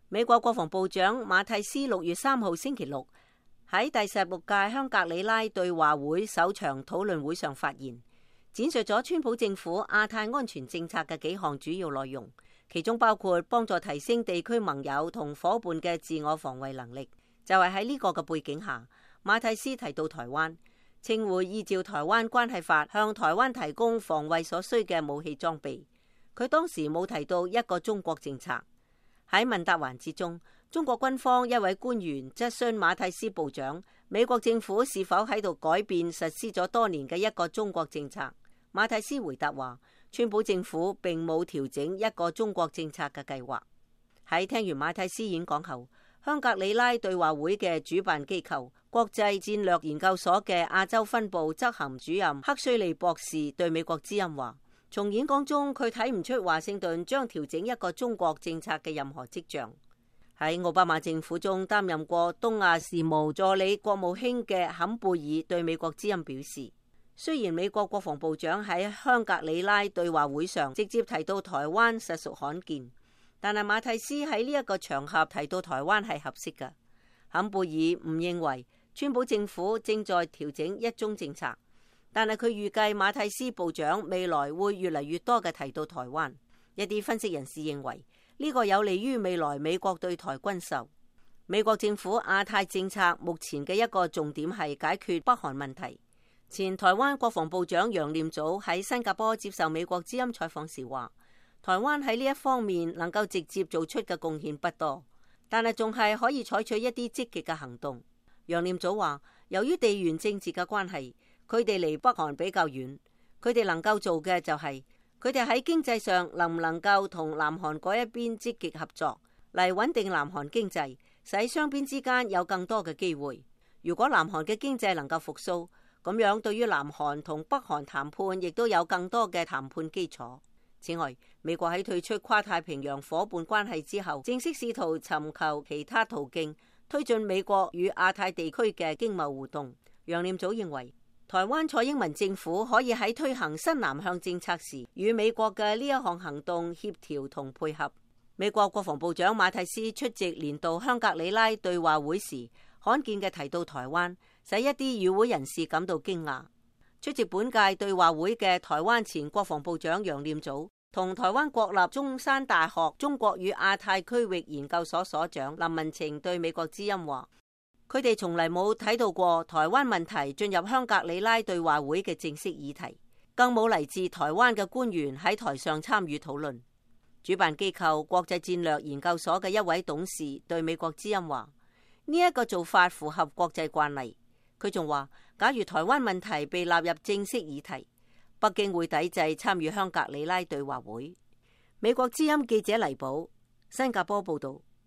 美國國防部長馬蒂斯6月3號星期六喺第16屆香格里拉對話會首場討論會上發言，闡述咗川普政府亞太安全政策嘅幾項主要內容，其中包括幫助提升地區盟友同夥伴嘅自我防衛能力。就係喺呢個嘅背景下，馬蒂斯提到台灣，稱會依照台灣關係法向台灣提供防衛所需嘅武器裝備。佢當時冇提到一個中國政策。喺問答環節中，中國軍方一位官員質詢馬蒂斯部長，美國政府是否喺度改變實施咗多年嘅一個中國政策。馬蒂斯回答話，川普政府並冇調整一個中國政策嘅計劃。喺聽完馬蒂斯演講後，香格里拉對話會嘅主辦機構國際戰略研究所嘅亞洲分部執行主任克須利博士對美國之音話，從演講中佢睇唔出華盛頓將調整一個中國政策嘅任何跡象。喺奧巴馬政府中擔任過東亞事務助理國務卿嘅坎貝爾對美國之音表示，雖然美國國防部長喺香格里拉對話會上直接提到台灣實屬罕見，但係馬蒂斯喺呢一個場合提到台灣係合適嘅。坎貝爾唔認為川普政府正在調整一中政策，但係佢預計馬蒂斯部長未來會越嚟越多嘅提到台灣。一啲分析人士認為呢個有利於未來美國對台軍售。美國政府亞太政策目前嘅一個重點係解決北韓問題。前台灣國防部長楊念祖喺新加坡接受美國之音採訪時話，台灣喺呢一方面能夠直接做出嘅貢獻不多，但係仲係可以採取一啲積極嘅行動。楊念祖話，由於地緣政治嘅關係，佢哋離北韓比較遠，佢哋能夠做嘅就係佢哋喺經濟上能唔能夠同南韓嗰一邊積極合作，嚟穩定南韓經濟，使雙邊之間有更多嘅機會。如果南韓嘅經濟能夠復甦，咁樣對於南韓同北韓談判亦都有更多嘅談判基礎。此外，美國喺退出跨太平洋夥伴關係之後，正式試圖尋求其他途徑推進美國與亞太地區嘅經貿互動。楊念祖認為，台灣蔡英文政府可以喺推行新南向政策時，與美國嘅呢一項行動協調同配合。美國國防部長馬蒂斯出席年度香格里拉對話會時，罕見嘅提到台灣，使一啲與會人士感到驚訝。出席本屆對話會嘅台灣前國防部長楊念祖同台灣國立中山大學中國與亞太區域研究所所長林文晴對美國之音話，佢哋從嚟冇睇到過台灣問題進入香格里拉對話會嘅正式議題，更冇嚟自台灣嘅官員喺台上參與討論。主辦機構國際戰略研究所嘅一位董事對美國之音話，呢一個做法符合國際慣例。佢仲話，假如台灣問題被納入正式議題，北京會抵制參與香格里拉對話會。美國之音記者黎寶，新加坡報道。